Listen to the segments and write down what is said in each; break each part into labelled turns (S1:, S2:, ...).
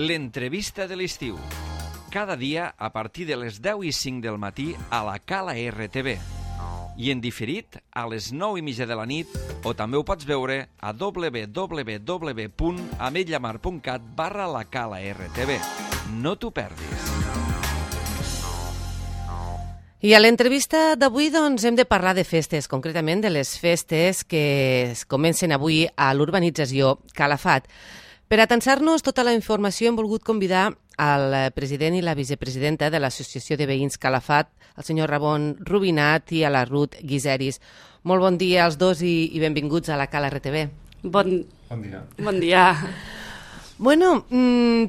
S1: L'entrevista de l'estiu. Cada dia a partir de les 10:05 del matí a la Cala RTV. I en diferit a les 9:30 de la nit, o també ho pots veure a www.ametlllamar.cat/la Cala RTV. No t'ho perdis.
S2: I a l'entrevista d'avui doncs, hem de parlar de festes, concretament de les festes que es comencen avui a l'urbanització Calafat. Per atansar-nos tota la informació hem volgut convidar al president i la vicepresidenta de l'Associació de Veïns Calafat, el senyor Ramon Rubinat i a la Ruth Guiseris. Molt bon dia als dos i benvinguts a la Cala RTV.
S3: Bon dia. Bon dia.
S2: Bueno,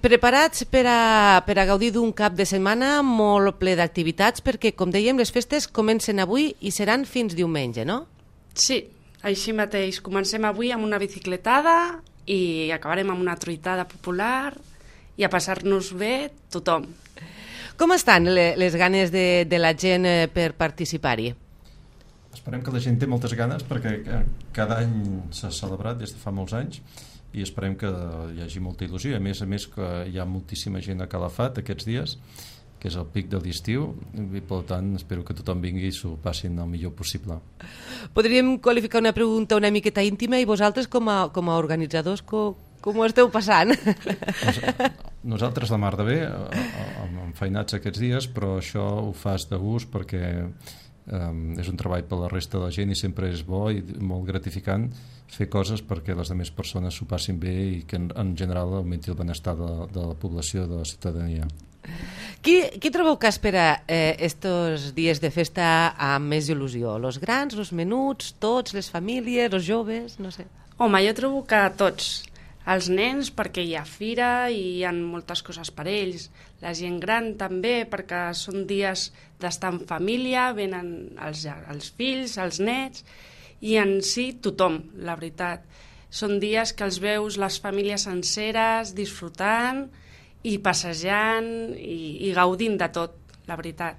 S2: preparats per a gaudir d'un cap de setmana molt ple d'activitats perquè, com dèiem, les festes comencen avui i seran fins diumenge, no?
S3: Sí, així mateix. Comencem avui amb una bicicletada i acabarem amb una truitada popular i a passar-nos bé tothom.
S2: Com estan les ganes de la gent per participar-hi?
S4: Esperem que la gent té moltes ganes perquè cada any s'ha celebrat des de fa molts anys i esperem que hi hagi molta il·lusió. A més que hi ha moltíssima gent a Calafat aquests dies, que és el pic de l'estiu, i per tant espero que tothom vingui i s'ho passin el millor possible.
S2: Podríem qualificar una pregunta una miqueta íntima i vosaltres com a organitzadors com ho esteu passant?
S4: Nosaltres la mar de bé, enfeinats aquests dies, però això ho fas de gust perquè és un treball per la resta de la gent i sempre és bo i molt gratificant fer coses perquè les altres persones s'ho passin bé i que en general augmenti el benestar de la població, de la ciutadania.
S2: Qui trobeu que espera estos dies de festa amb més il·lusió? Los grans, los menuts, tots, les famílies, els joves, no sé?
S3: Home, jo trobo que tots. Els nens perquè hi ha fira i hi ha moltes coses per ells. La gent gran també perquè són dies d'estar en família, venen els fills, els nets i en si tothom, la veritat. Són dies que els veus les famílies senceres disfrutant i passejant i gaudint de tot, la veritat.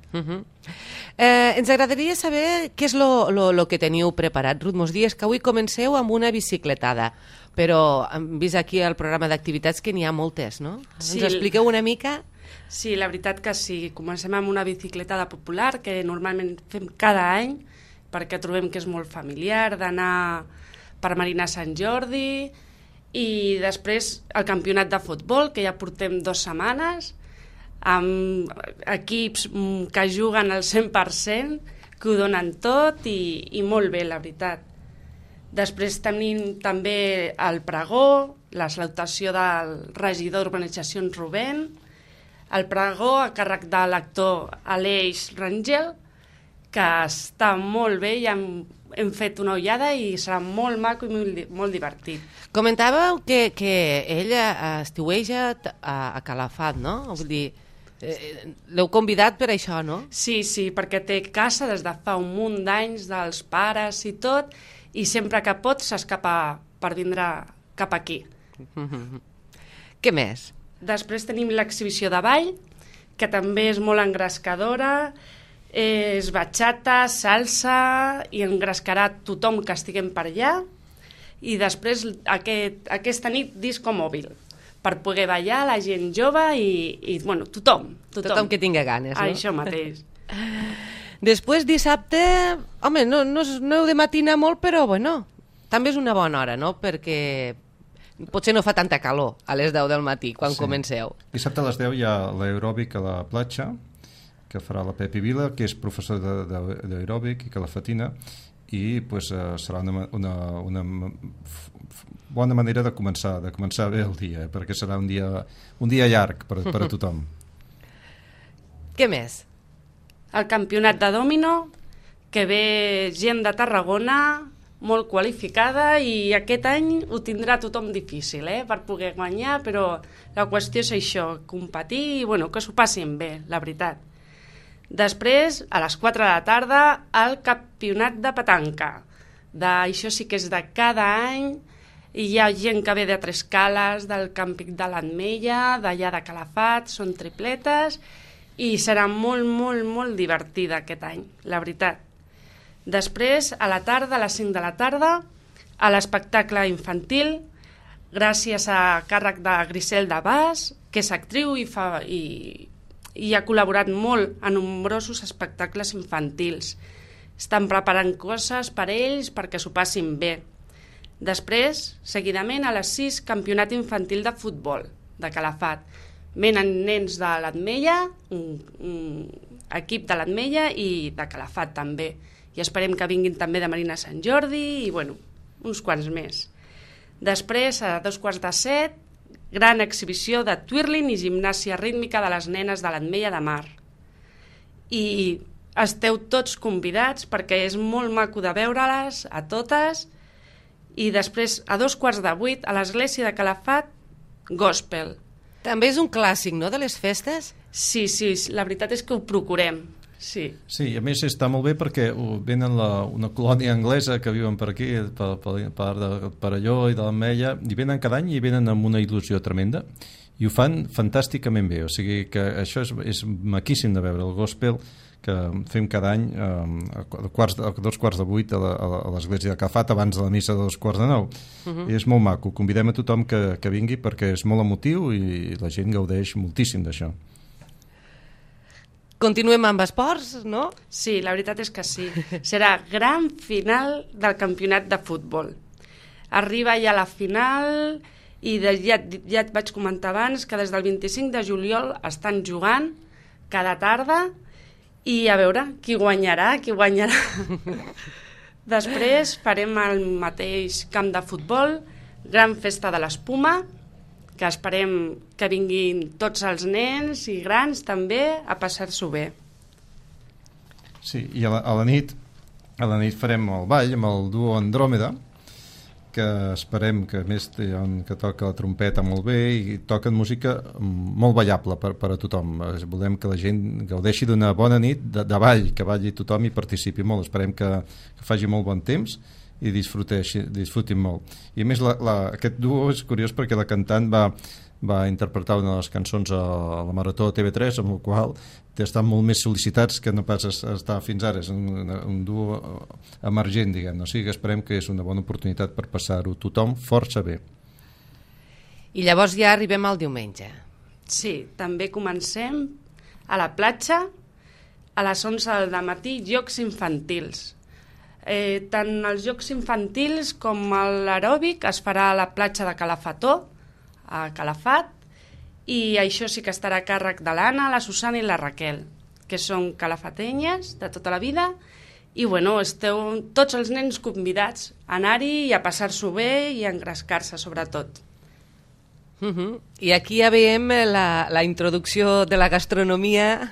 S2: Ens agradaria saber què és lo que teniu preparat. Ruth, mos dies que avui comenceu amb una bicicletada, però hem vist aquí al programa d'activitats que n'hi ha moltes, no?
S3: Sí.
S2: Ens expliqueu una mica?
S3: Sí, la veritat que sí. Comencem amb una bicicletada popular que normalment fem cada any perquè trobem que és molt familiar, d'anar per Marina Sant Jordi i després el campionat de futbol, que ja portem 2 setmanes, amb equips que juguen al 100%, que ho donen tot i molt bé, la veritat. Després tenim també el pregó, la salutació del regidor d'Urbanitzacions Rubén, el pregó a càrrec de l'actor Aleix Rangel, que està molt bé i hem fet una ullada i serà molt maco i molt divertit.
S2: Comentàveu que ell estiueja a Calafat, no? Vull dir, l'heu convidat per això, no?
S3: Sí, perquè té casa des de fa un munt d'anys dels pares i tot, i sempre que pot s'escapa per vindre cap aquí.
S2: Què més?
S3: Després tenim l'exhibició de ball, que també és molt engrescadora, és bachata, salsa, i engrescarà tothom que estiguem per allà, i després aquesta nit disco mòbil, per poder ballar la gent jove i bueno, tothom.
S2: Tothom que tingui ganes, no?
S3: Això mateix.
S2: Després, dissabte, home, no heu de matinar molt, però bueno, també és una bona hora, no? Perquè potser no fa tanta calor a les 10 del matí quan comenceu.
S4: Dissabte a les 10 hi ha l'aeròbic a la platja, que farà la Pepi Vila, que és professor d'aeròbic i calafatina, i pues, serà una bona manera de començar bé el dia, perquè serà un dia llarg per a tothom.
S2: Què més?
S3: El campionat de dòmino, que ve gent de Tarragona molt qualificada i aquest any ho tindrà tothom difícil per poder guanyar, però la qüestió és això, competir i bueno, que s'ho passin bé, la veritat. Després, a les 4 de la tarda, el campionat de petanca. Això sí que és de cada any, i hi ha gent que ve de Trescales, del càmping de l'Ametlla, d'allà de Calafat, són tripletes, i serà molt, molt, molt divertida aquest any, la veritat. Després, a la tarda, a les 5 de la tarda, a l'espectacle infantil, gràcies a càrrec de Grisel de Bas, que és actriu i ha col·laborat molt a nombrosos espectacles infantils. Estan preparant coses per ells perquè s'ho passin bé. Després, seguidament, a les 6, campionat infantil de futbol de Calafat. Venen nens de l'Atmella, un equip de l'Atmella i de Calafat també. I esperem que vinguin també de Marina Sant Jordi i, bueno, uns quants més. Després, a 6:45, gran exhibició de twirling i gimnàsia rítmica de les nenes de l'Atmella de Mar. I esteu tots convidats perquè és molt maco de veure-les a totes. I després, a 7:15, a l'església de Calafat, gospel.
S2: També és un clàssic, no?, de les festes?
S3: Sí, la veritat és que ho procurem, sí.
S4: Sí, i a més està molt bé perquè venen una colònia anglesa que viuen per aquí, per allò i de l'Ametlla, i venen cada any i venen amb una il·lusió tremenda, i ho fan fantàsticament bé, o sigui que això és maquíssim de veure, el gospel que fem cada any a 7:45 a l'església de Calafat abans de la missa de 8:45. I és molt maco, convidem a tothom que vingui perquè és molt emotiu i la gent gaudeix moltíssim d'això.
S2: Continuem amb esports, no?
S3: Sí, la veritat és que sí. Serà gran final del campionat de futbol. Arriba ja la final i ja et vaig comentar abans que des del 25 de juliol estan jugant cada tarda i a veure qui guanyarà. Després farem el mateix camp de futbol, gran festa de l'espuma, que esperem que vinguin tots els nens i grans també a passar-s'ho bé.
S4: Sí, i a la nit farem el ball amb el duo Andròmeda, que esperem que a més hi ha un que toca la trompeta molt bé i toquen música molt ballable per a tothom. Volem que la gent gaudeixi d'una bona nit de ball, que balli tothom i participi molt. Esperem que faci molt bon temps i disfrutin molt. I a més aquest duo és curiós perquè la cantant va interpretar una de les cançons a la Marató de TV3, amb la qual estan molt més sol·licitats que no pas estar fins ara. És un duo emergent, diguem. O sigui que esperem que és una bona oportunitat per passar-ho tothom força bé.
S2: I llavors ja arribem al diumenge.
S3: Sí, també comencem a la platja a les 11 del matí, jocs infantils. Tant els jocs infantils com l'aeròbic es farà a la platja de Calafató, a Calafat, i això sí que estarà a càrrec de l'Anna, la Susana i la Raquel, que són calafatenyes de tota la vida, i bueno, esteu tots els nens convidats a anar-hi i a passar-s'ho bé i a engrescar-se sobretot.
S2: I aquí ja veiem la introducció de la gastronomia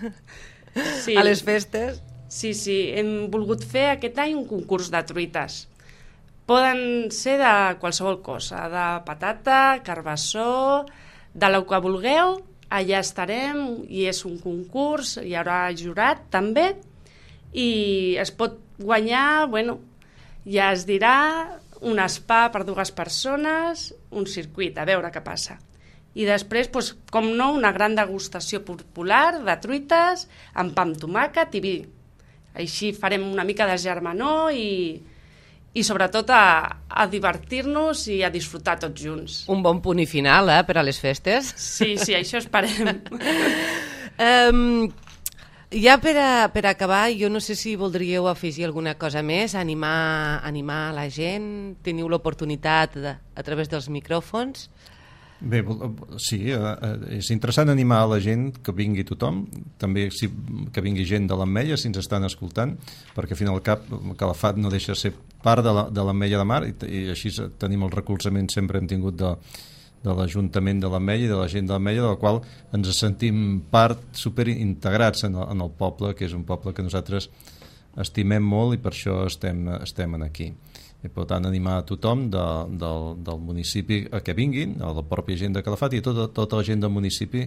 S2: a les festes.
S3: Sí, hem volgut fer aquest any un concurs de truites. Poden ser de qualsevol cosa, de patata, carbassó, de lo que vulgueu, allà estarem i és un concurs, hi haurà jurat també i es pot guanyar, bueno, ja es dirà, un spa per 2 persones, un circuit, a veure què passa. I després, doncs, com no, una gran degustació popular de truites amb pa amb tomàquet i vi. Així farem una mica de germanor i sobretot a divertir-nos i a disfrutar tots junts.
S2: Un bon punt i final, per a les festes.
S3: Sí, això esperem.
S2: Ja per acabar, jo no sé si voldríeu afegir alguna cosa més, animar la gent, teniu l'oportunitat a través dels micròfons.
S4: Bé, sí, és interessant animar a la gent que vingui tothom, també que vingui gent de l'Ametlla si ens estan escoltant, perquè al fin i al cap Calafat no deixa de ser part de l'Ametlla de Mar i així tenim el recolzament, sempre hem tingut de l'Ajuntament de l'Ametlla i de la gent de l'Ametlla, de la qual ens sentim part superintegrats en el poble, que és un poble que nosaltres estimem molt i per això estem aquí. I per tant animar a tothom del municipi a que vinguin, a la pròpia gent de Calafat i tota la gent del municipi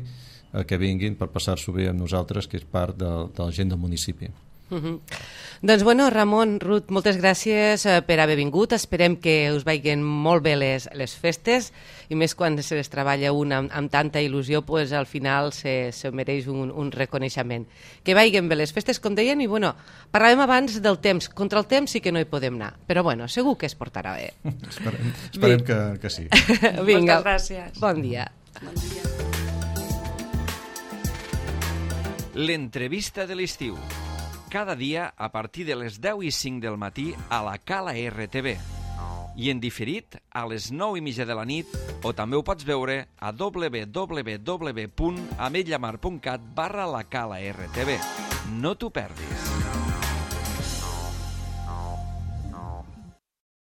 S4: a que vinguin per passar-s'ho bé amb nosaltres, que és part de la gent del municipi.
S2: Doncs bueno, Ramon, Ruth, moltes gràcies per haver vingut. Esperem que us vagin molt bé les festes i més quan se les treballa un amb tanta il·lusió, pues, al final se mereix un reconeixement. Que vagin bé les festes, com deien, i bueno, parlàvem abans del temps. Contra el temps sí que no hi podem anar, però bueno, segur que es portarà bé.
S4: Esperem que sí.
S2: Vinga,
S3: moltes gràcies.
S2: Bon dia.
S3: Bon dia.
S1: L'entrevista de l'estiu. Cada dia a partir de les 10:05 del matí a la Cala RTV. I en diferit a les 9:30 de la nit, o també ho pots veure a www.ametlllamar.cat/la Cala RTV. No t'ho perdis.